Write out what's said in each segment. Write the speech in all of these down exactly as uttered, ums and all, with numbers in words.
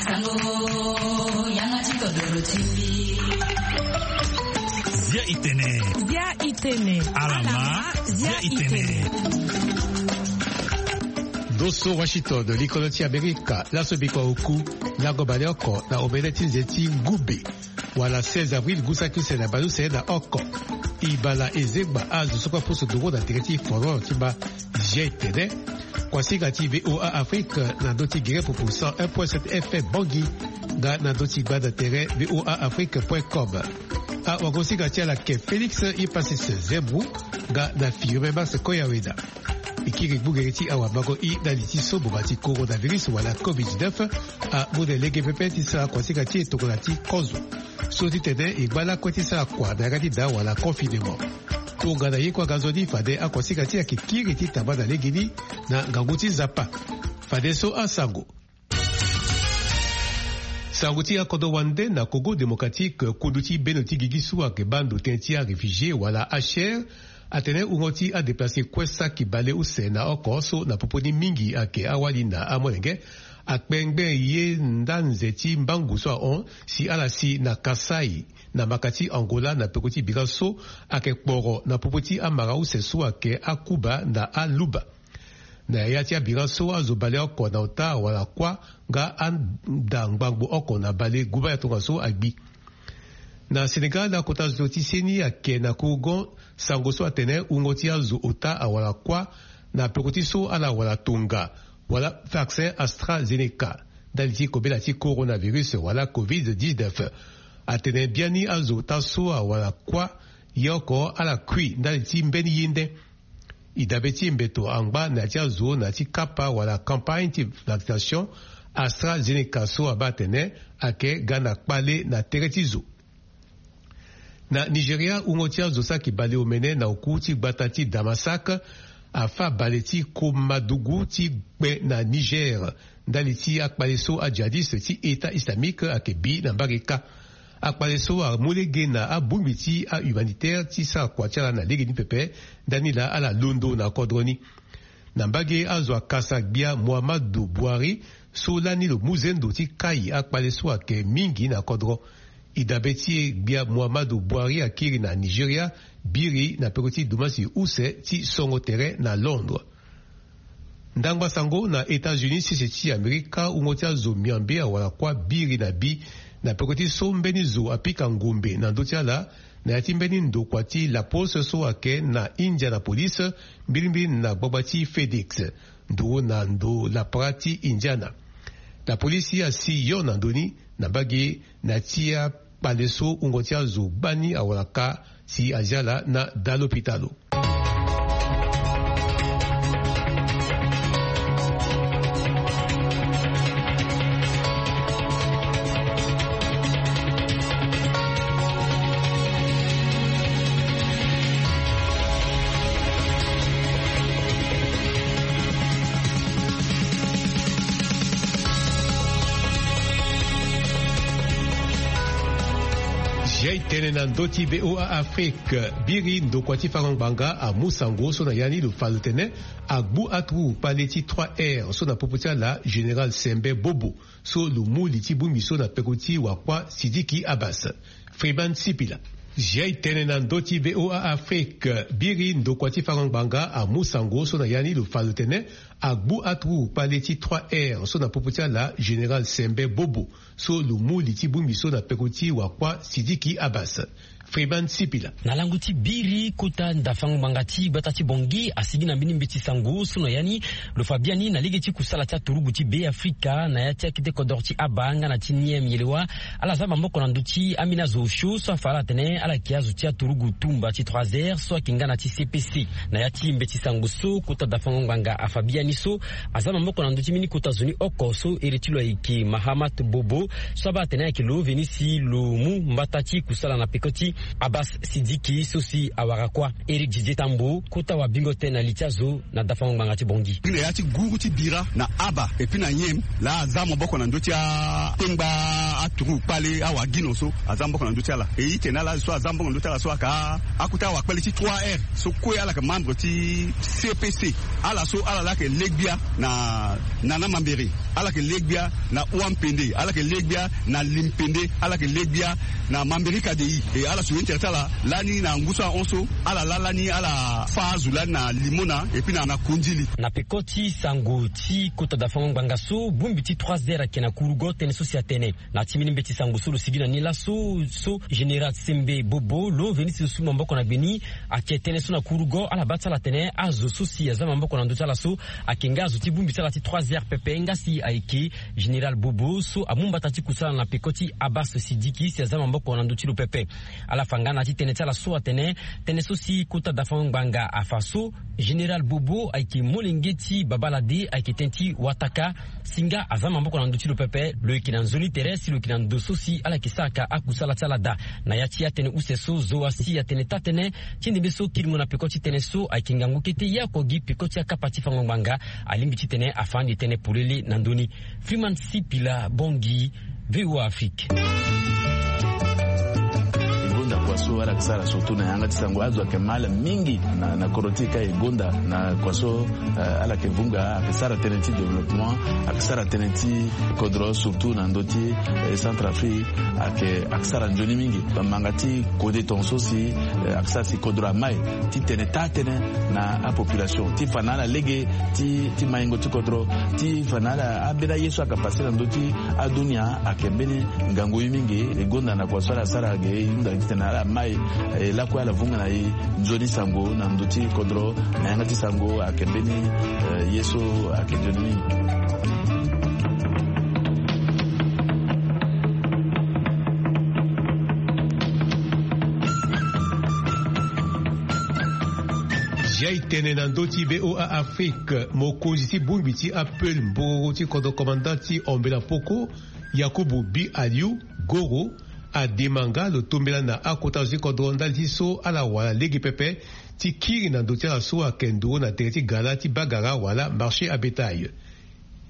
Sango, yanga ti kodoro ti mbi. Zia itene. Zia itene. Alama, zia itene. Ndo so Washington, likolo ti Amerika, laso bikua oku, lango baleoko na omene ti nze ti ngube. Wala seize avril, ngu saki use na baleuse na oko. Ibala ezengba azo so kue apusu nduru na tere ti foro ti mba. Zia itene. Kuasinga ti V O A Afrique na ndö ti gere pupu cent un point sept F M Bangui, nga na ndö ti gbanda tere V O A Afrique point com. Awagosinga ti ala ke Félix Hypassis Zembrou, nga na Firmin Max Koyaweda. E kiri gbugere ti awamango i na li ti so boma ti coronavirus wala covid dix-neuf amu na lege pepe ti sara kuasinga ti e tongana ti kozo. So ti tene e ngba lakue ti sara kua na yanga ti daa wala confinement. Tongana ye kue aga nzoni fade akuasinga ti e ayeke kiri ti tamba na legeni na ngangu ti Nzapa. Fadeso asango. Sango ti akodro wande na Congo Démocratique, kundu ti bendo ti gigi so ayeke baa ndo tënë ti aréfugié wala H R, atene wungo ti adéplacé kue saki baleuse na oko so na popo ni mingi ayeke awali na amolenge, akpengbe ye nda nze ti mbangu so ahon si ala si na Kasaï, na maka ti Angola, na peko ti bira so ayeke kporo na popo ti amara use so ayeke akuba na aluba. Na ya ti abira so azo baleoko na ota wala kuâ nga anda ngbangbo oko na bale guba ya tongaso agbi. Na Sénégal, akota zo ti seni ayeke na kourgon sango so atene wungo ti azo ota awala kuâ na peko ti so ala wala tonga wala vaccin AstraZeneca ndali ti kobela ti coronavirus wala covid dix-neuf. Atene biani azo ota so awala kuâ ye oko ala kui ndali ti mbeni ye nde. E dabe ti mbeto angba na ya ti azo na ya ti kapa wala campagne ti vaccination AstraZeneca so abaa atene ayeke ga na kpale na tere ti zo. Na Nigeria, wungo ti azo saki baleomene na oku ti gbata ti Damasak afâ bale ti komadugu ti kpe na Niger ndali ti akpale so ajihadiste ti État islamique ayeke bi na mbage kâ. Akpale so amu lege na abongbi ti ahumanitaire ti sara kua ti ala na legeni pepe ndani laa ala londo na kodro ni. Na mbage, azo akasa gbia Muhammadu Buhari so lani lo mu zendo ti kai akpale so ayeke mingi na kodro. E dabe ti e, gbia Muhammadu Buhari akiri na Nigeria biri na peko ti dumasi use ti songo tere na Londres. Ndangba sango na États-Unis, sese ti Amerika, wungo ti azo miambe awara kuâ biri na bi na peko ti so mbeni zo apika ngombe na ndö ti ala na ya ti mbeni ndokua ti La Poste so ayeke na Indianapolis, mbirimbiri na gbagba ti FedEx, nduru na ndo lapara ti Indiana. Lapolisi asi yo na ndö ni na mbage na ya ti akpale so wungo ti azo gbani awara kâ si azia ala na daa lopitalo. Zia e tene na ndö ti V O A Afrique. Biri ndokua ti fango ngbanga amu sango so na ya ni lo fa lo tene agbu aturugu kpale ti trois R so na popo ti ala Général Sembe Bobo, so lo mu li ti bongbi so na peko ti wakua Sidiki Abbas. Freeman Sipila. Zia e tene na ndö ti V O A Afrique. Biri ndokua ti fango ngbanga amu sango so na ya ni lo fa lo tene agbu aturugu kpale ti trois R so na popo ti ala Général Sembe Bobo, so lo mu li ti bongbi so na peko ti wakua Sidiki Abbas. Freeman Sipila. Na lango ti biri, kota ndafango ngbanga ti gbata ti Bangui asigi na mbeni mbeti sango so na ya ni lo fa biani na lege ti kusala ti aturugu ti Be Afrika na ya ti akete kodoro ti Aba nga na ti Niem Yelewa, ala za maboko na ndö ti ambeni azo osio so afa ala atene ala yeke azo ti aturugu tumba ti trois R so ayeke nga na ti C P C. Na ya ti mbeti sango so, kota dafango ngbanga afa biani so aza maboko na ndö ti mbeni kota zo ni oko so ere ti lo ayeke Mahamat Bobo, so abaa atene ayeke lo veni si lo mu mbata ti kusala na peko ti Abbas Sidiki so si awara kuâ Éric Didier Tambo, kota wabingo tënë na li ti azo na dafango ngbanga ti Bangui. Gi na ya ti guru ti bira na aba epui na nyem laa aza maboko na ndö ti atengba aturu kpale awagino so aza maboko na ndö ti ala. E ite na ala so aza maboko na ndö ti ala so aka akota awakpale ti trois R so kue ala yeke membre ti C P C. Ala so ala laa yeke legbia na nana mambere, ala yeke legbia na ua mpende, ala yeke legbia na limpende, ala yeke legbia na mambere kadei. E ala suru intere ti ala lani na ngu so ahon so ala laa lani ala fâ azo lani na limona epui na na kondili. Na peko ti sango ti kota dafango ngbanga so bongbi ti trois heures ayeke na kurugo tënë so si atene na ti mbeni mbeti sango so lo sigi na ni laso so général Sembe Bobo lo veni ti zo su maboko na gbe ni. Ayeke tënë so na kurugo ala baa ti ala atene azo so si aza maboko na ndö ti ala so ayeke nga azo ti bongbi ti ala ti trois heures pepe nga si ayeke général Bobo so amu mbata ti kusala na peko ti Abbas Sidiki si aza maboko na ndö ti lo pepe. Ala fa nga na ya ti tënë ti ala so atene tënë so si kota dafango ngbanga afa so général Bobo ayeke molenge ti babâ lade ayeke tënë ti wataka si nga aza maboko na ndö ti lo pepe. Lo yeke na nzoni tere si lo yeke na ndo so si ala yeke saraka akusala ti ala daa. Na ya ti atënë use so zo asi atene taa-tënë ti ndembe so kiri mo na peko ti tënë so ayeke ngangu kete ye oko gi peko ti akapa ti fango ngbanga alingbi titene afa ande tënë polele na ndö ni. Freeman Sipila Bangui, V O A Afrique. E gonda kua so ala yeke sara surtout na yanga ti sango azo ayeke mal mingi na, na kodro ti e ka e gonda na kua so, eh, ala yeke vunga ayeke sara tënë ti développement, ayeke sara tënë ti kodro surtout na ndö ti, eh, Centrafrique ayeke, ayeke sara nzoni mingi. Bamanga ti kode tongaso si, eh, ayeke sara si kodro amai titene taa-tënë na apopulation ti fa na ala lege ti, ti maingo ti kodro, ti fa na ala ambeni aye so ayeke pase na ndö ti adunia ayeke mbeni ngangu ye mingi. E gonda na kua so ala sara ge e hunda titene ala mai, eh, lakue ala vunga na e nzoni sango na ndö ti kodro na yanga ti sango ayeke mbeni, eh, ye so ayeke nzoni mingi. Zia e tene na ndö ti V O A Afrique, mokonzi ti bongbi ti apel mboro ti kodro commandant ti Ombela Poko, Yakubu Bi Aliou Goro, adema nga lo tombela na akota zo ti kodro ndali ti so ala wara lege pepe ti kiri na ndö ti ala so ayeke nduru na tere ti gala ti bagara wala marché à bétail.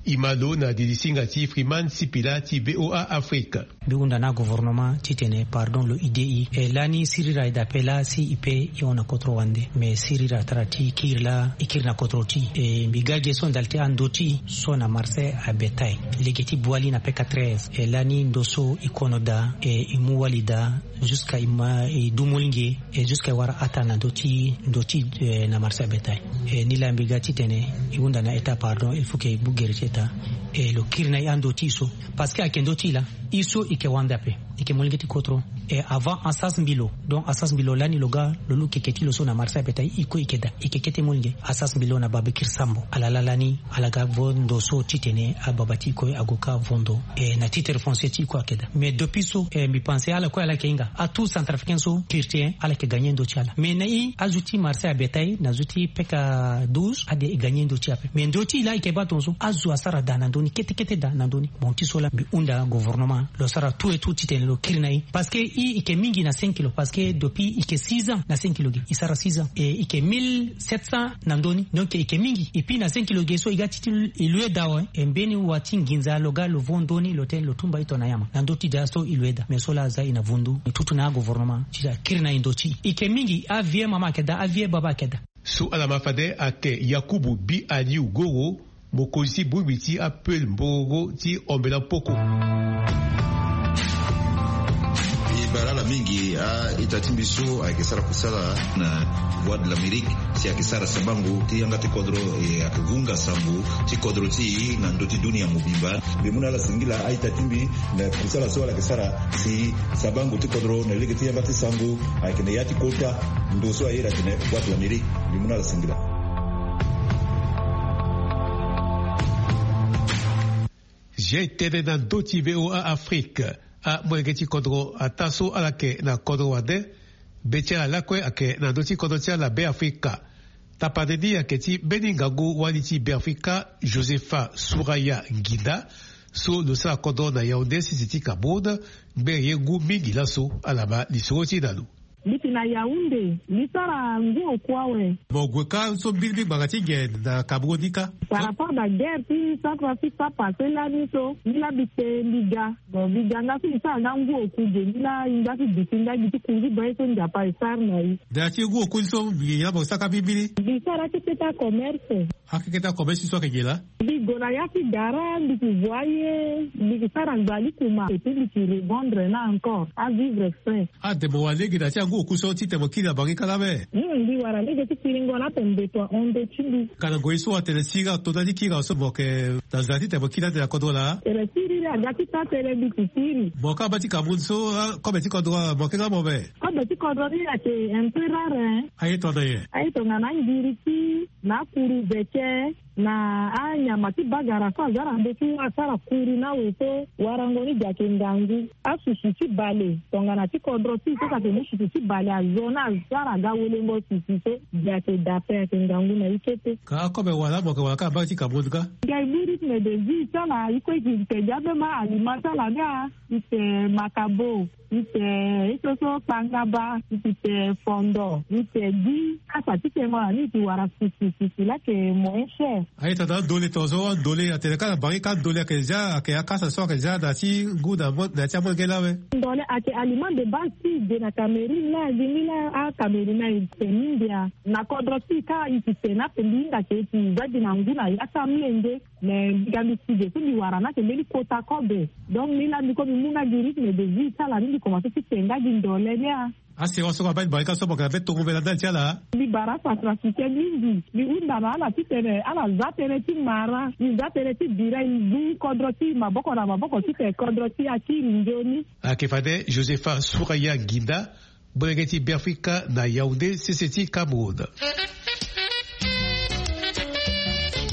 E ma lo na didi singa ti Freeman Sipila ti V O A Afrique. Mbi hunda na agouvernement titene pardon lo ide e. E lani sirira e dape laa si e pe e hon na kotro wande. Me sirira atara ti kiri laa e kiri na kotro ti e. E mbi ga ge so ndali ti ando ti e so na marché à bétail. Lege ti bwali na P quatre S. E lani ndo so e kono daa, e e mu wali daa. Jusqu'à e ma e du molenge, e jusqu'à e wara ataa na ndö ti, ndö ti, eh, na marché à bétail. E nilaa mbi ga titene e hunda na état pardon, il faut que e bu gere ti état. E lo kiri na e ando ti e so. Parce que ayeke ndö ti e laa e so e yeke wande ape, e yeke molenge ti kotro. E avant asas mbi lo. Donc asas mbi lo lani lo ga lo lu keke ti lo so na marché à bétail, e kue e yeke daa, e yeke kete molenge. Asas mbi lo na Babakir Sambo, ala laa lani ala ga vo ndo so titene ababa ti e kue ague ka vo ndo. E na titre foncier ti e kue ayeke daa. Mais depuis so, e mbi pense ala kue ala yeke hinga. Atout centrafricain so kiri ti e ala yeke gagner ndo ti ala. Mais na e azo ti marché à bétail na zo ti P K douze ade e gagner ndo ti e ape. Mais ndo ti e laa e yeke baa tongaso azo asara daa na ndö ni, kete kete daa na ndö ni. Bon ti so laa mbi hunda gouvernement lo sara tout et tout titene lo kiri na e. Parce que e, e yeke mingi na cinq kilo, parce que depuis e yeke six ans na cinq kilo ge, e sara six ans. E e yeke mille sept cents na ndö ni. Donc e yeke mingi. Et puis na cinq kilo ge so e ga ti ti e loue daa awe. E mbeni wa ti nginza lo ga lo vo ndö ni lo tene lo tumba e to na nyama. Na ndö ti daa so e loue daa. Mais so laa aza e na vundu. E tutu na agouvernement titene akiri na e ndo ti e. E yeke mingi, avieux mama ayeke daa, avieux baba ayeke daa. So ala ma fade ayeke Yakubu Bi Aliou Goro, mokonzi ti bongbi ti apel mboro ti Ombela Poko. E bara ala mingi a-ita ti mbi so ayeke sara kusala na Voix de l'Amérique, si ayeke sara sabango ti yanga ti kodro, e ayeke vunga sango ti kodro ti e na ndö ti dunia mobimba. Mbi mu na ala singila a-ita ti mbi na kusala so ala yeke sara si sabango ti kodro na lege ti yanga ti sango ayeke na ya ti kota ndo so aye daa atene Voix de l'Amérique. Mbi mu na ala singila. Zia e tene na ndö ti V O A Afrique, amolenge ti kodro ataa so ala yeke na kodro wande, be ti ala lakue ayeke na ndö ti kodro ti ala Be Afrika. Tapande ni ayeke ti mbeni ngangu wali ti Be Afrika, Josepha Souraya Nginda, so lo sara kodro na Yaoundé, sese ti Cameroun, ngbere ye ngu mingi laso. Ala ma lisoro ti e na lo. Mbi ti na Yaoundé, mbi sara ngu oku awe. Mo gue kâ so mbirimbiri ngbanga ti nyen na Cameroun ni kâ? Par rapport na guerre ti Centrafrique so apassé lani so, mbi laa mbi te mbi ga. Bon, mbi ga nga so mbi sara nga ngu oku ge, mbi laa e nga so duti nga gi ti kunzi baa ye so Nzapa e sara na e. Na ya ti ngu oku ni so mbi nyen laa mo sara kâ mbirimbiri? Mbi sara ti keta commerce. Akeketa commerce so ayeke nyen laa? Mbi gue na ya ti gara, mbi ti voyer, mbi ti sara ngbali kuma, et puis mbi ti revendre na encore, avivre frais. Ade mo wara lege na ya ti angu oku so titene mo kiri na bangi kâ laa awe? Hmm, mbi wara lege ti kiringo na ape mbeto ahon ndö ti mbi. Ka na ngoi so atene siriri ato ndali ti kiri awe so mo yeke na nzara titene mo kiri ande na kodro laa? Tene siriri aga ti sara tënë mbi ti kiri. Mo kâ abaa ti Cameroun so, ah, kobe ti kodro, ah, mo yeke nga mo be? Kobe ti kodro ni ayeke un peu rare, hein. Aye tongana nyen? Aye tongana angiriki, na akuru veke, na anyama ti bagara so aza na ndö ti asara kuru na awe so, warango ni gi ayeke ngangu. Asusu ti bale tongana ti kodro ti e so ayeke mu susu ti bale azo na asara aga welengo susu so, gi ayeke da ape, ayeke ngangu na e kete. Ka akobe wala mo yeke wara kâ na mbage ti Cameroun kâ? Ngia e mu rythme de vie ti ala, e kue e gi tene gi ambeni aliment ti ala ni a, e tene makabo. Ite, ite so kpangaba, ite fondo, ite gi, kasa ti tengo na ni ite wara sisi, sisi laa ayeke moins cher. Aye tata, andole tongaso, andole atene kâ na bangi kâ, andole ayeke zia, ayeke akasa so ayeke zia na ti ngu na mo-, na ti amolenge laa awe. Ndole ayeke aliment de base ti e ge na Cameroun laa, gi ni laa aCameroun ayeke mingi a. Na kodro ti e kâ e ti tene ape mbi hinga ke e ti za gi na ngu na ya ti amolenge. Me mbi ga mbi si ge so mbi wara ni ayeke mbeni kota kobe. Donc mbi laa mbi kue mbi mu nga gi rythme de vie ti ala ni, mbi komanse ti te nga gi ndole ni a. Asewa so abaa ti bale kâ so mo yeke na be tongo mbela ndali ti ala. Mbi bara acentrafricain mingi. Mbi hunda na ala titene ala za tënë ti mara, e za tënë ti bira, e zu kodro ti e maboko na maboko titene kodro ti e akiri nzoni. Ayeke fade Josepha Souraya Guinda, molenge ti Beafrika na Yaoundé, sese ti Cameroun.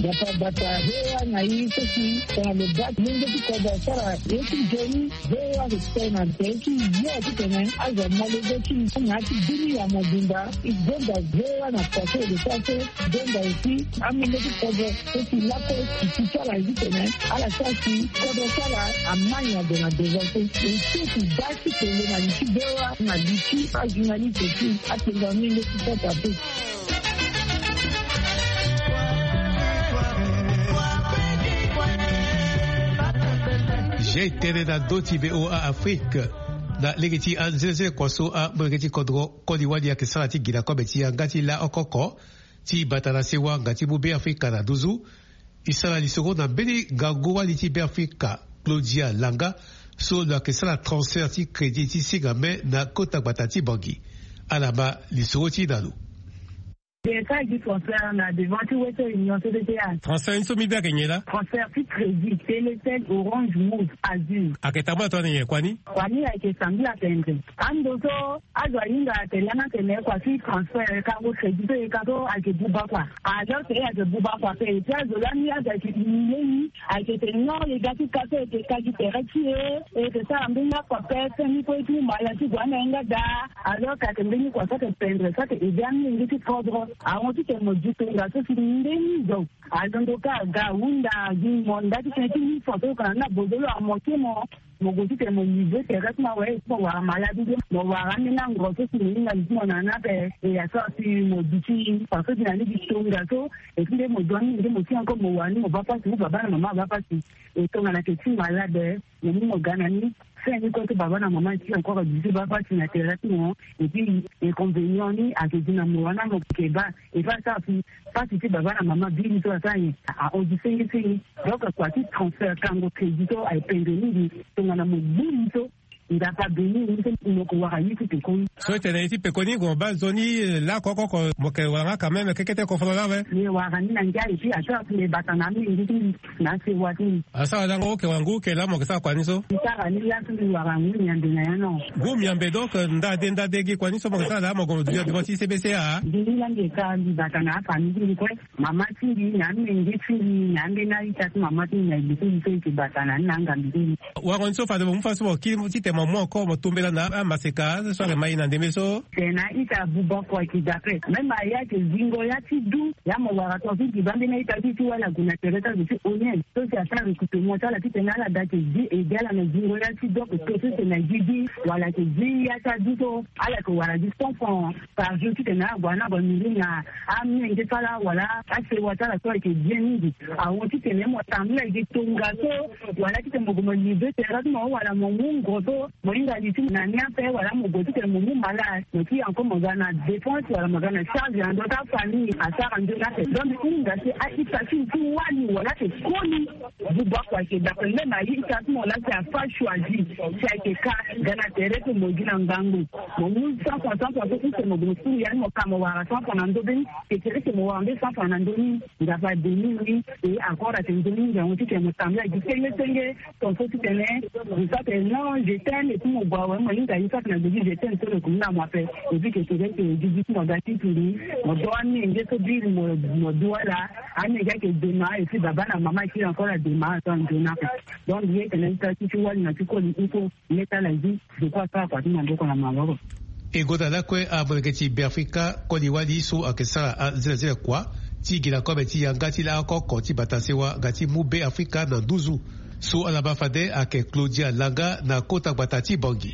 Bata bata, V O A na e so si tongana lo baa ti molenge ti kodro asara ye ti nzoni, V O A ayeke tene na tere ti yo titene azo molenge ti e na ya ti bini ya mobimba. E gonda V O A na poto e lo sara so, gonda aussi amolenge ti kodro so si lakue e ti ti ala ye titene ala sara si kodro ti ala amai na gue na devant so. E so e ti baa ti tene na li ti V O A na li ti ajournaliste ti atengo amolenge ti Centrafrique. Zia e tene na ndö ti V O A Afrique na lege ti anzenze kua so amolenge ti kodro koli wali ayeke sara ti gi na kobe ti yanga ti laoko oko ti bata na sewa nga ti mu Beafrika na nduzu. E sara lisoro na mbeni ngangu wali ti Beafrika, Claudia Langa, so lo yeke sara transfert ti crédit ti singa me na kota gbata ti Bangui. Ala ma lisoro ti e na lo. Mbi yeke sara gi transfert na devant ti Western Union, C B C A. Transfert ni so mbi baa ayeke nyen laa? Transfert ti crédit, Telecel, Orange, Moov, Azur. Ayeke tambula tongana nyen kua ni? Kua ni ayeke sambela tendre. Ando so azo ahinga atene lani atene kua ti transfert, kango crédit so e ka so ayeke buba kua. Alors que e ayeke buba kua ape, et puis azo lani azo ayeke humilier ni, ayeke tene non, e ga ti ka so e yeke ka gi tere ti e, e yeke sara mbeni akua ape, fin ni kue e ti mu mala ti gue ande na e nga daa. Alors que ayeke mbeni kua so ayeke pendre, so ayeke aider amolenge ti kodro. Ahon titene mo di tongaso si mbeni zo alondo kâ aga ahunda gi mo nda ti tënë ti mille francs so e yeke na ni na bozolo amoke mo. Mo gue titene mo livrer tere ti mo awe, mo wara malade nde mo wara ambeni ango so si mo hinga li ti mo na ni ape. E asara si mo duti façon ti na ni gi tongaso. Et puis nde mo doit ni nde mo ti encore mo wara ni mo baa pasi, mo baba na mama abaa pasi. E tongana ayeke ti malade, mo mu mo ga na ni. Fin ni kue so baba na mama ti encore duti baa pasi na tere ti mo. Et puis inconvénient ni ayeke gi na mo wana mo yeke baa. E fa asara si pasi ti baba na mama biri so asara nyen? Ahon gi senge senge. Donc kua ti transfert, kango crédit so ayeke pendre mingi. Tongana mo gbu li so, Nzapa abeni ni so mo yeke wara ye ti pekoni. So e tene ye ti pekoni, mo baa nzoni, eh, laoko oko oko mo yeke wara nga quand même kekete kofololo awe. Mbi wara ni na ngia, et puis asara si mbi bata na amolenge ti mbi na asewa ti mbi. Asara lango oke wara ngu oke laa mo yeke sara kua ni so? Mbi sara ni laa so mbi wara ngu miambe na ya no. Ngu miambe, donc, eh, ndade ndade gi kua ni so mo yeke sara laa mo gue mo duti na devant ti C B C A? Mbi ni laa mbi yeke sara, mbi bata na afamille ti mbi kue. Mama ti mbi na amenge ti mbi na ambeni a-ita ti mama ti mbi na e bi ti mbi so e yeke bata na ni na angambi ti mbi. Warango ni so fade mo mu fadeso mo kiri titene mo Mo encore mo tombela na amaseka so ayeke ma ye na ndembe so. Tena ita buba kua ki dape même aye ayeke zingo ya ti du. Ya mo wara tonga ti gi bande na ita ti ti wala gue na tere ti azo ti onien so si asara recrutement ti ala titene ala da yeke zi ede ala na zingo ya ti du oko to so si na gi gi wala yeke zi ya ti adu so. Ala yeke wara gi cent francs par jour titene ala gue na ala gue miri na amenge ti ala wala asewa ti ala so ayeke bien mingi. Ahon titene mo tambula gi tongaso wala titene mo gue mo livre terrain ti mo wala mo mu ngo so mo hinga li ti mo na ni ape wala mo gue titene mo mu malade mo ti encore mo ga na dépense wala mo ga na charge na ndö ti afamille asara nzoni ape. Donc mo hinga si a-ita ti mo ti wali wala ayeke koli. Buba kua ayeke dape même aye ita ti mo laa si afa choisi si ayeke ka ga na tere ti mo gi na ngangu. Mo mu cent francs cent francs so use mo gue mo suru ya ni mo ka mo wara cent francs na ndö be ni. Ke tere ke mo wara mbe cent francs na ndö ni. Nga fa demi ni e encore ayeke nzoni ngangu titene mo tambula gi senge senge. Ton so titene mo sa tene non je t'aime et puis mo gue awe mo hinga ye so ayeke na gbe gi je t'aime so lo yeke mu na mo ape. Et puis ke tere ke gigi ti mo ga ti turi mo do amenge so biri mo mo du ala. Amenge ayeke dema et puis baba na mama ayeke encore adema so anzoni ape. Donc ye tene ita ti ti wali na ti koli il faut. Leta la vie de quoi ça parti na ndoko na maloro. E gonda lakue amolenge ti Beafrika koli wali so ayeke sara azilazila kua ti gi na kobe ti yanga ti laa oko oko ti bata sewa nga ti mu Beafrika na nduzu. So ala ma fade ayeke Claudia Langa na kota gbata ti Bangui.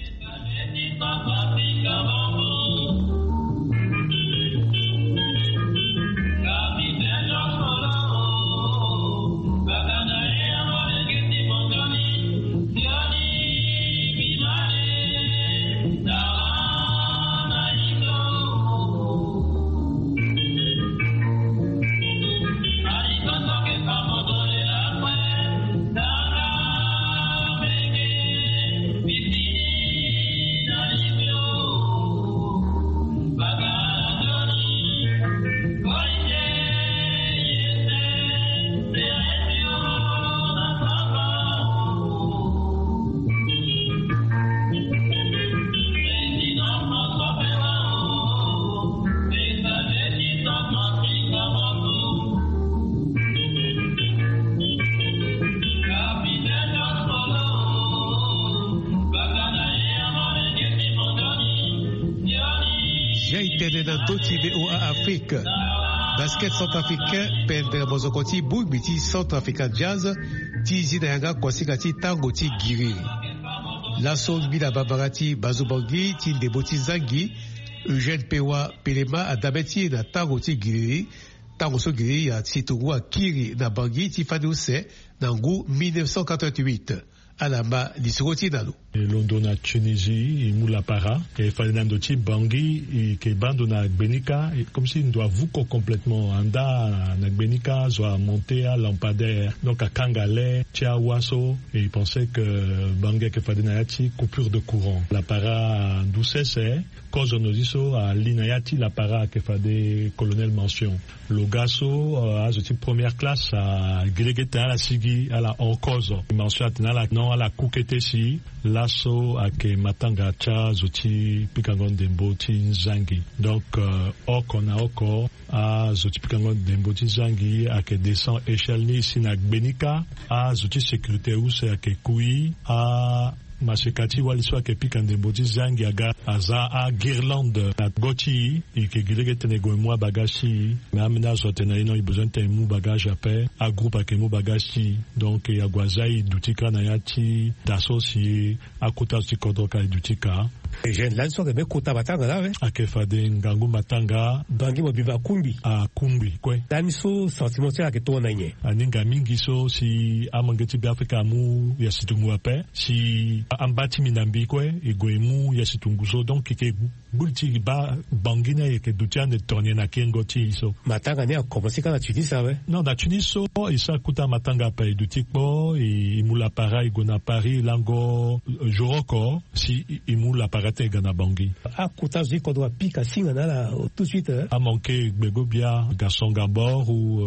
Jai tene na ndö ti V O A Afrique. Basket centrafricain pendere mozoko ti bongbi ti Centrafrican Jazz ti zi na yanga kuasinga ti tango ti giriri. Laso ngbila bambara ti Bazo Bangui ti ndembo ti zangi Eugène Pewa Pelema adabe ti e na tango ti giriri. Tango so giriri asitungu akiri na Bangui ti fani use na ngu mille neuf cent quatre-vingt-huit. Ala ma lisoro ti na lo. E londo na Tunisie e mu lapara e fade na ndo ti Bangui e ke baa ndo na gbenika e comme si ndo avuko complètement anda na gbenika zo amonte alampadaire donc akanga le ti awa so e pense que Bangui ayeke fade na ya ti coupure de courant lapara ndu sese. Kozo nozi so ali na ya ti lapara ayeke fade colonel mention. Lo ga so azo ti première classe agilege tene ala sigi ala hon kozo mention atene ala non ala ku kete si laso ayeke matanga ti azo ti pikango ndembo ti zangi. Donc oko na oko azo ti pikango ndembo ti zangi ayeke descend échelle ni si na gbenika azo ti sécurité use ayeke kui a maseka ti wali so ayeke pika ndembo ti zangi aga aza aguirlande na go ti e. E yeke gi lege titene e gue e mu abagage ti e. Me ambeni azo atene na e non e besoin titene e mu bagage ape. Agroupe ayeke mu bagage ti e. Donc e ague aza e duti kâ na ya ti da so si akota zo ti kodro ka e duti kâ. Eugène lani so ayeke be kota matanga laa awe. Ayeke fade ngangu matanga. Bangui mo biba akungbi. Akungbi kue. Lani so sentiment ti ala ayeke tongana nyen? Aninga mingi so si amolenge ti Beafrika amu ya situngu ape. Si amba ti minambi kue e gue e mu ya situngu so donc e yeke gbu li ti e baa Bangui ni ayeke duti ande tongana nyen na kengo ti e so. Matanga ni akomanse kâ na Tunis awe. Non na Tunis so e sara kota matanga ape e duti kpo e mu lapara e gue na Paris lango jour oko si e mu lapara ti e ga na Bangui. Akota zo ti kodro apika singa na ala tout de suite. Amanke gbego bia Gaston Gabor ou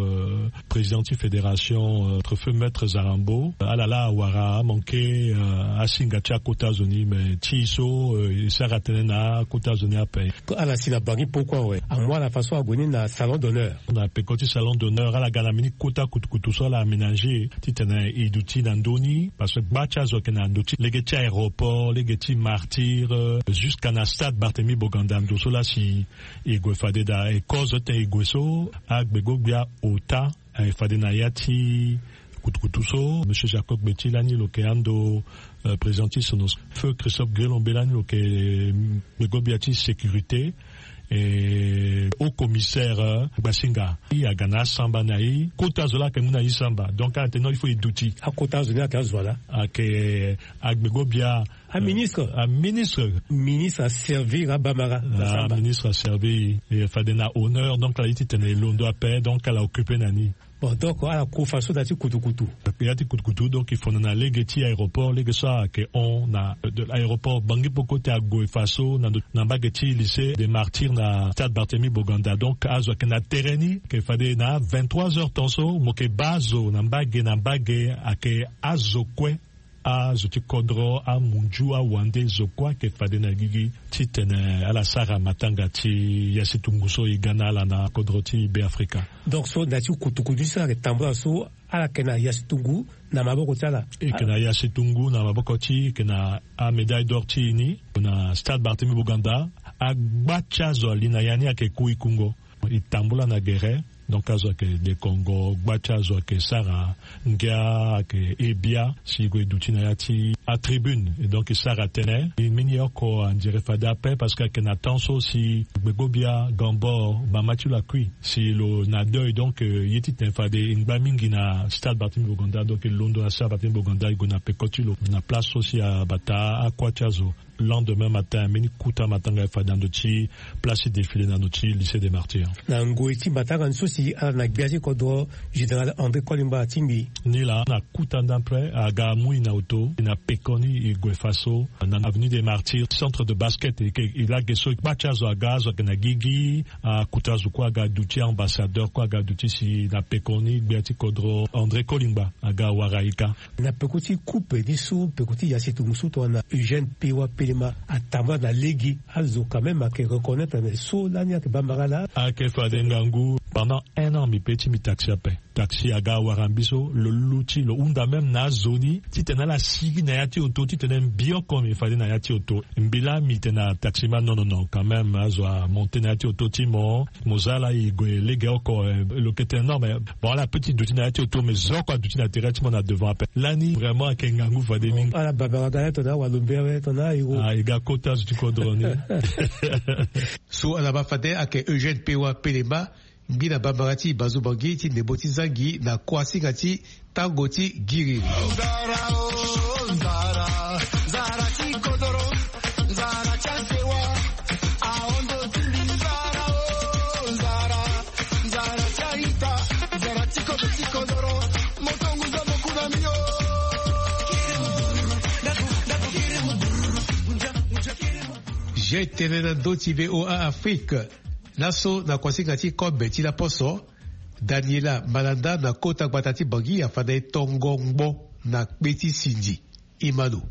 président ti fédération préfet maître Zarambo ala laa awara amanke asinga ti akota zo ni me ti e so e sara tënë na akota Zoni ape. Ala si na bangi poko awe, amu ala façon ague ni na salon d'honneur. Na peko ti salon d'honneur ala ga na mbeni kota kutukutu so ala aménager titene e duti na ndö ni, parce que gba ti azo ayeke na ndö ti lege ti aéroport, lege ti Martyrs, jusqu'à na stade Barthélemy Boganda, ndo so laa si e gue fade daa e kozo titene e gue so, agbego-gbia ota, eh, fade na ya ti kutukutu so, monsieur Jacob Gbeti lani lo yeke ando, eh, président ti Sonosco. Feu Christophe Guélombe lani lo yeke, eh, gbego-gbia ti sécurité, eh, haut commissaire, eh, Gbasinga. E aga na asamba na e. Kota zo laa ayeke mu na e samba. Donc, ala tene non, il faut e duti. Akota zo ni ayeke azo ala? Ayeke, eh, agbego-gbia, aministre. Eh, aministre. Ministre aservir abamara. Ah, aministre aservir. E fade na honneur, donc ala ye titene e londo ape, donc ala occupe na ni. Bon, donc ala ku faso na ya ti kutukutu. Ya ti kutukutu, donc e fono na lege ti aéroport, lege so ayeke hon na, euh, de l'aéroport Bangui Poko ti ague faso na, na mbage ti lycée des Martyrs na stade Barthélemy Boganda. Donc azo ayeke na tere ni, ayeke fade na vingt-trois heures temps so, mo yeke baa azo na mbage na mbage, ayeke azo kue. Azo ti kodro, amunzu, awande, zo kue ayeke fade na gigi titene ala sara matanga ti ya si tungu so e ga na ala na kodro ti Beafrika. Donc so na ya ti kutukutu so ala yeke tambula so, ala yeke na ya si tungu na maboko ti ala? E yeke na ya si tungu na maboko ti e, e yeke na amédaille d'or ti e ni na stade Barthélemy Boganda. Agba ti azo ali na ya ni ayeke ku e kungo. E tambula na gere. Donc azo ayeke dekongo, gba ti azo ayeke sara ngia, ayeke he bia si e gue e duti na ya ti atribune. Et donc e sara tënë. E mbeni oko andire fade ape parce que ayeke na temps so si gbego-gbia Gambor, mama ti lo akui, si lo na deuil. Donc, euh, ye titene fade e ngba mingi na stade Barthélemy Boganda. Donc e londo na stade Barthélemy Boganda, e gue na peko ti lo na place so si abata akua ti azo. Lendemain matin, mbeni kuta matanga e fade na ndo ti place ti défilé na ndo ti lycée des Martyrs. Na ngoi ti matanga ni so si ala na gbia ti kodro, général André Kolimba atingbi. Ni laa na kuta ndapre aga amu e na oto, e na pekoni e gue faso na avenue des Martyrs, centre de basket, e ke, e lage so gba ti azo aga, azo ayeke na gigi, akuta azo kue aga duti, ambassadeur kue aga duti si na pekoni gbia ti kodro André Kolimba aga wara e ka. Na peko ti coupe ni so, peko ti ya si tungu so tongana Eugène Pewa Pelema atambula na lege, azo quand même ayeke reconnaître na so lani ayeke bambara laa. Ayeke fade ngangu pendant un an mbi pe ti mbi taxi ape. Taxi aga wara mbi so, lo luti, lo hunda même na azo ni titene ala sigi na ya ti oto, titene mbi oko mbi fade na ya ti oto. Mbi laa mbi tene na taximan non, non, non, quand même azo amonte na ya ti oto ti mo. Mo za laa e gue lege oko, eh, lo yeke tene non, mais bon, ala pe ti duti na ya ti oto, mais zo oko aduti na tere ti mo na devant ape. Lani vraiment ayeke ngangu fade mingi. Ala bambara ga aye tongana awalombe awe tongana airo. Ah, e ga kota zo ti kodro ni. So ala baa fade ayeke Eugène Pewa Pelema, ngbina bambara ti Bazu Bangui ti ndembo ti Zangi na kuasinga ti tango ti giri. J'ai tene na ndö ti V O A Afrique. Laso na kuasinga ti kobe ti laposo, Daniela Malanda na kota gbata ti Bangui afanda e tongo ngbo na kpe ti sindi. Imano.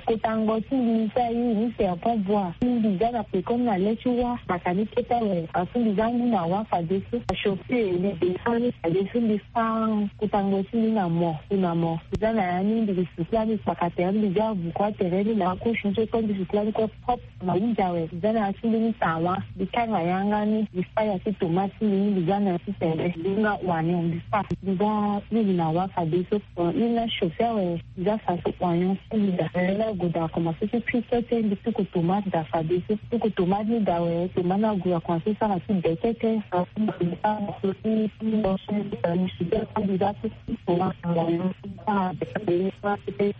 Kota ngbo ti mbi ni so aye ni serpent bois. Mbi za na pekoni na le ti wâ, bata ni kete awe. Asu mbi za ngu na wâ fadeso. Achaussée ni descend ni fadeso, mbi fa kota ngbo ti mbi na mo, na mo. Mbi za na ya ni, mbi sucla ni kpaka tere, mbi za avuku atere ni na akosi ni so kue, mbi sucla ni kue propre. Na hunzi awe, mbi za na ya ti mbi ni tawa, mbi kanga yanga ni, mbi fa ya ti tomate ti mbi ni, mbi za na ya ti tende, mbi nga oignon, mbi fa. Mbi za mingi na wâ fadeso. Mbi nga chaussée awe, mbi za faso oignon ti mbi daa. Mbi la gue daa, akomanse ti kui kete, mbi tuku tomate daa fadeso. Tuku tomate ni daa awe, tomate ni ague, akomanse sara ti be kete. Mbi sara so ti, mbi za ti tomate na oignon, mbi sara be kete. Mbi sara be kete.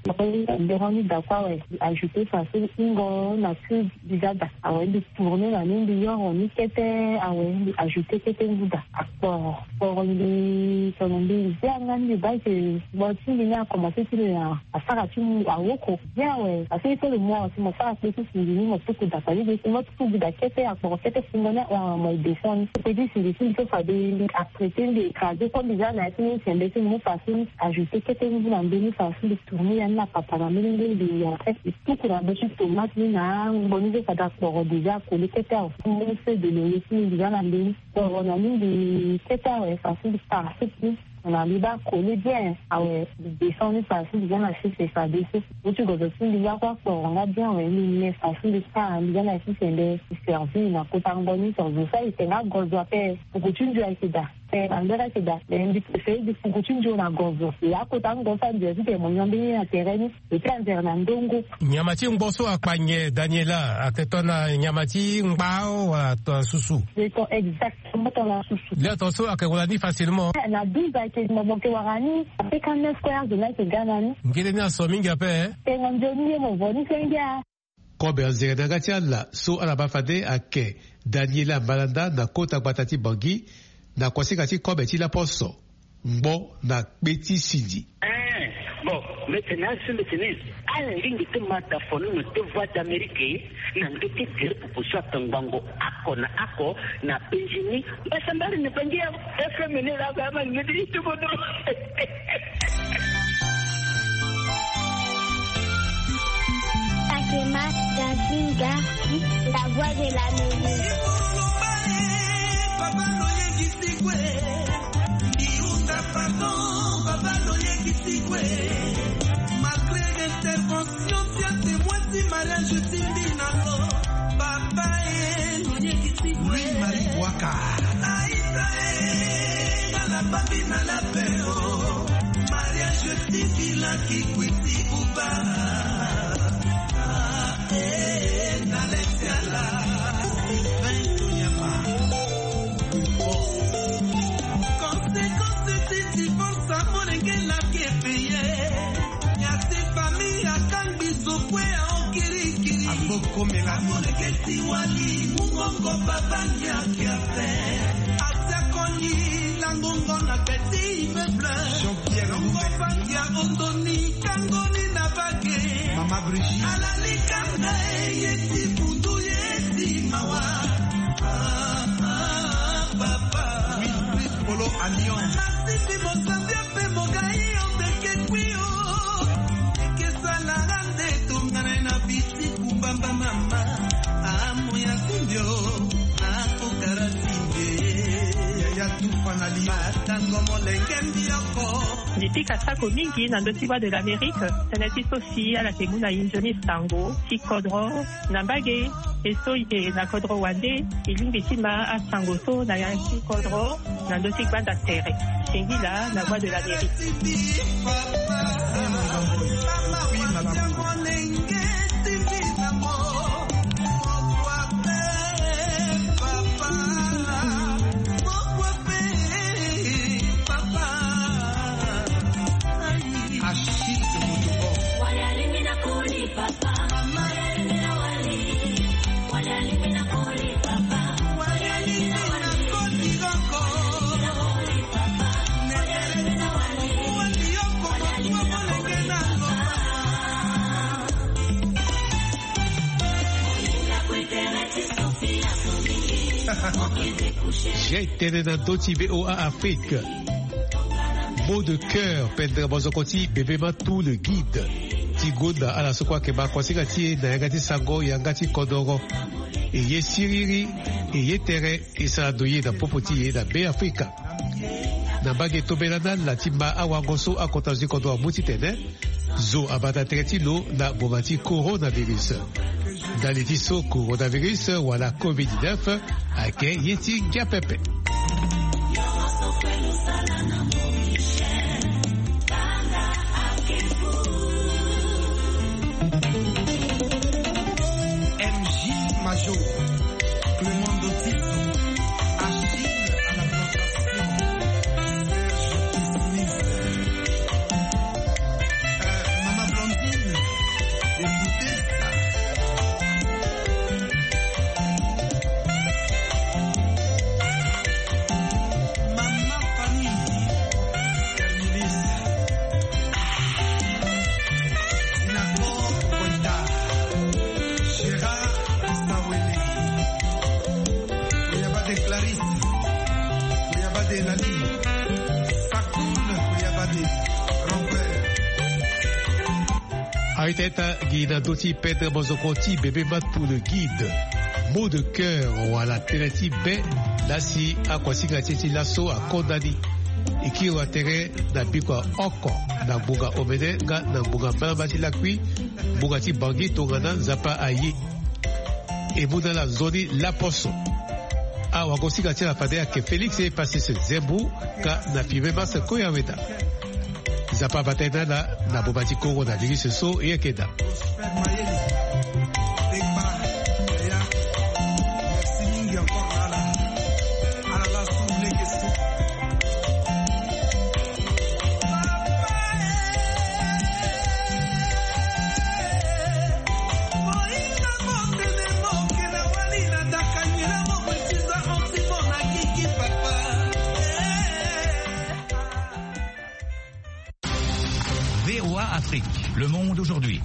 Mbi rend ni daa kue awe, mbi ajouter faso ingo na cube. Mbi za daa awe, mbi tourner na ni, mbi yoro ni kete awe, mbi ajouter kete ngu daa. Akporo, kporo mbi, tongana mbi zia nga ni, mbi baa ke ngbo ti mbi ni akomanse ti lo ya asara ti mu awoko bien. Awe, parce que le mois aussi mo sara kpe ti sindi ni, mo tuku da fade de si mo tuku da kete akporo kete fungo ni awe, mo e descend ni. Kpe ti sindi si mbi so fade mbi atraité mbi écrasé comme bizarre na ya ti ni sembe si mbi mu fa si mbi ajouté kete ni na mbeni fa si mbi tourné ya ni na papa na mbeni mbeni mbi ya en fait mbi tuku na be ti tomate ni na angbo ni so fade akporo déjà akoli kete awe. Mbi mu feu de loyer si mbi déjà na mbeni kporo na ni mbi kete awe fa si mbi para siki na mbi baa koli bien awe. Mbi descend ni fa si mbi za na sese fade so. Mo ti gozo si mbi za kue akporo nga bien awe mbi me fa si mbi sara mbi za na sese nde mbi servi na kota ngo ni so zo so ayeke nga gozo ape. Puku ti ndio ayeke daa. Eh, angber ayeke daa mais mbi préféré mbi puku ti ndio na gozo e akota ngo so andio ti tene mo nyon mbeni na tere ni. Ete anzere na ndongo. Nyama ti ngbo so akpa nyen Daniela, ayeke tongana nyama ti ngbao wala tongana susu? Exactement, tongana susu. Lê tongaso ayeke wara ni facilement. Eh, na douze ayeke mo mo yeke wara ni. Apeka neuf kue azo ni ayeke ga na ni. Ngele ni aso mingi ape. Tengo nzoni ye mo vo ni senge a. Kobe anzere na yanga ti ala so ala baa fade ayeke Daniela Malanda na kota gbata ti Bangui, na kuasinga ti kobe ti laposo, ngbo na kpe ti sindi. Eh, bon, mbi tene asi mbi tene ala lingbi ti ma da fo ni na te Voix d'Amérique na nge ti gere pupu so atongbango ako na ako na penzi ni. Mbasambari na penzi ya F M ni la ba ma ni ti bodo. Akema Gazinga, la voix de la musique. Papa loyengisi kwe, ndiunda pardon, papa loyengisi kwe. Malgré intervention ti atemoi ti mariage ti mbi na lo, papa e loyengisi kwe. Louis Marie Boaka. Aita e, ala babi na la pe o. Mariage ti mbi la ki kwiti buba. Ah, eh, na lesi ala. Sylvain Tonyama. Conséquence ti divorce, amolenge laki epeye. Ya ti famille akangbi zo kue aokirikiri. Abokomela. Amolenge ti wali mungongo baba nyakia te. Atia koni langongo na petit immeuble. Jean-Pierre Longo Bangia ondoni kangoni na bage. Mama Brigitte. Alali kanga ye ti bundu ye ti mawa. Ah, ah, papa. Oui, Chris Polo Alliance. Masifi mozambia pe mogai ondeke kwi o. Eke sala nga nde tongana na biti kumbamba mama. Amo ya kumbio na kokara timbe. Yaya tufa na li. Batango molenge mbioko. Mbi pika sako mingi na ndö ti Voix de l'Amérique, tënë ti so si ala yeke mu na e nzoni sango ti kodro na mbage. E so e yeke na kodro wande, e lingbi ti ma asango so na ya ti kodro na ndö ti gbanda tere. Singila na Voix de l'Amérique. Achille Motobo. J'ai tene na ndö ti V O A Afrique. Mot de cœur, pendere mozoko ti bebe ma tout le guide. Ti gonda ala so kue ayeke ma kuasinga ti e na yanga ti sango yanga ti kodoro. E ye siriri, e ye tere, e sara ndo ye na popo ti e na Be Afrika. Na mbage tombela na ala ti ma awango so akota zo ti kodro amu titene zo abata tere ti lo na ngonga ti coronavirus. Ndali ti so coronavirus wala covid dix-neuf ayeke ye ti ngia pepe. M J Major, Clément Dotito, Achille à la plantation, Serge Smith. Euh, Mama Blondine, écoutez ça. Mama Fanny, Teta gi na ndö ti pendre mozoko ti bebe matu le guide. Mot de cœur wala tënë ti be. Lasi akuasinga ti e ti laso akonda ni. E kiri wa tere na bikua oko, na ngbonga omene nga na ngbonga mbalamba ti lakui, ngbonga ti bangi tongana Nzapa aye. E mu na ala nzoni laposo. Awagosinga ti ala fade ayeke Félix Epassis Zembu, ka na filme Marcel Koyaweda. Nzapa abata ye na ala na boma ti coronavirus so e yeke daa. V O A Afrique, le monde aujourd'hui.